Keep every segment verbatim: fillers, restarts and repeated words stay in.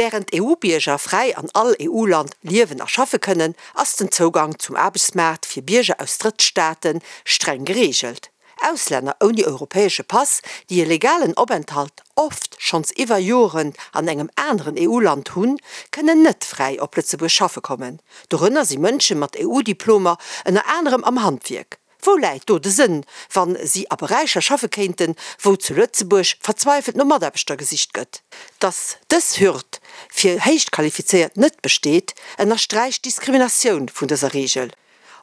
Wärend EU-Bierger fräi an all EU-Land liewen a schaffe kënnen, ass den Zougang zum Aarbechtsmaart fir Bierger aus Drëttstaate streng gereegelt. Auslänner ouni europäesche Pass, déi e legalen Openthalt oft schonns iwwer Joren an engem aneren EU-Land hunn, kënnen net fräi op Lëtzebuerg schaffe kommen. Dorënner si Mënsche mat EU-Diplomer, ënner anerem am Handwierk. Wou läit do de Sënn, wa si a Beräicher schaffe kéinten, wou zu Lëtzebuerg verzweifelt no Mataarbechter gesicht gëtt? Datt dës Hürd fir Héichqualifizéiert net besteet, ënnersträicht d'Diskriminatioun vun dëser Reegel.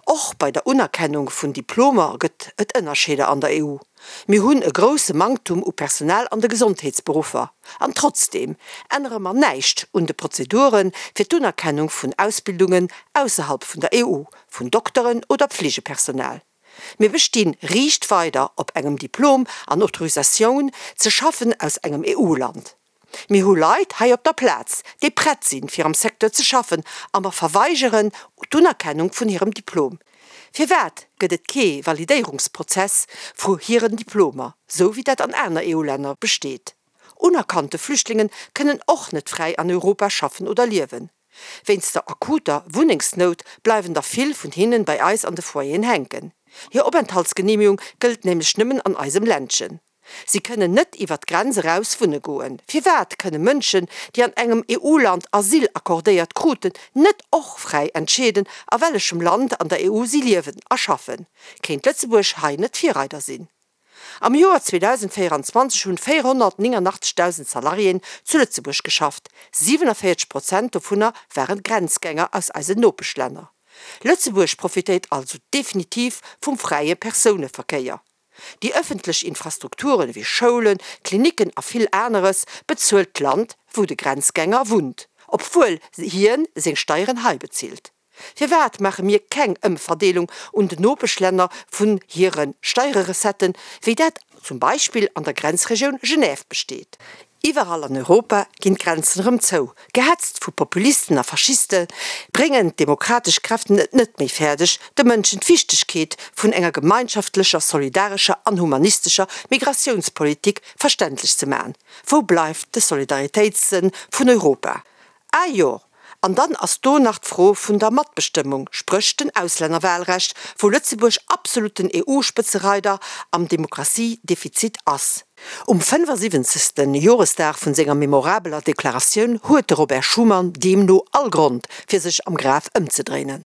Och bei der Unerkennung vun Diplomer gëtt et Ënnerscheeder an der EU. Mir hunn e grousse Manktum u Personal an de Gesondheetsberuffer. An trotzdeem ännere mer näischt un de Prozedure fir d'Unerkennung vun Ausbildungen ausserhalb vun der EU, vun Dokteren oder Pflegepersonal. Mir bestinn riicht weider op engem Diplom an Autorisatioun ze schaffen aus engem EU-Land. Mir hu Leit hei op der Plaz, déi prett sinn, fir am Secteur ze schaffen, a mer verweigeren d'Unerkennung vun hirem Diplom. Firwat gëtt et kee Validéierungsprozess vu hiren Diplomer, sou wéi dat an aner EU-Länner besteet? Unerkannte Flüchtlingen kënnen och net fräi an Europa schaffen oder liewen. Wéinst der akuter Wunnengsnout bleiwen der vill vun hinnen bei eis an de Foyeren hänken. Hir Openthaltsgeneemegung gëllt nämlech nëmmen an eisem Ländchen. Si kënnen net iwwer d'Grenz eraus wunne goen. Firwat kënne Mënschen, déi an engem EU-Land Asyl accordéiert kruten, net och fräi entscheeden, a wellechem Land an der EU si liewen a schaffen? Kéint Lëtzebuerg hei net Virreider sinn? Am Joer zweedausendvéieranzwanzeg hunn véierhonnertnénganachtzeghdausend Salariéen zu Lëtzebuerg geschafft, siwenavéierzeg Prozent dovunner waren Grenzgänger aus eisen Nopeschlänner. Lëtzebuerg profitéiert also definitiv vum fräie Persouneverkéier. Déi ëffentlech Infrastrukturen ewéi Schoulen, Klinicken a vill aneres bezuelt d'Land, wou de Grenzgänger wunnt, obwuel hien seng Steieren hei bezilt. Firwat maache mir keng Ëmverdeelung un den Nopeschlänner vun hire Steiererecetten, wéi dat zum Beispill an der Grenzregioun Genève besteet? Iwwerall an Europa ginn d'Grenzen erëm zou. Gehetzt vu Populisten a Faschiste bréngen d'demokratesch Kräften et net méi fäerdeg, de Mënschen d'Wichtegkeet vun enger gemeinschaftlecher, solidarescher an humanistescher Migratiounspolitik verständlech ze man. Wou bleift de Solidaritéitssënn vun Europa? Ah jo, an dann ass do nach d'Fro vun der Matbestëmmung, spréch den Auslännerwahlrecht, wou Lëtzebuerg absoluten EU-Spëtzereider am Demokratiedefizit ass. Um fënnefasiwwenzegste Joresdag vun senger memorabeler Deklaratioun huet de Robert Schuman deemno all Grond, fir sech am Graf ëmzedréinen.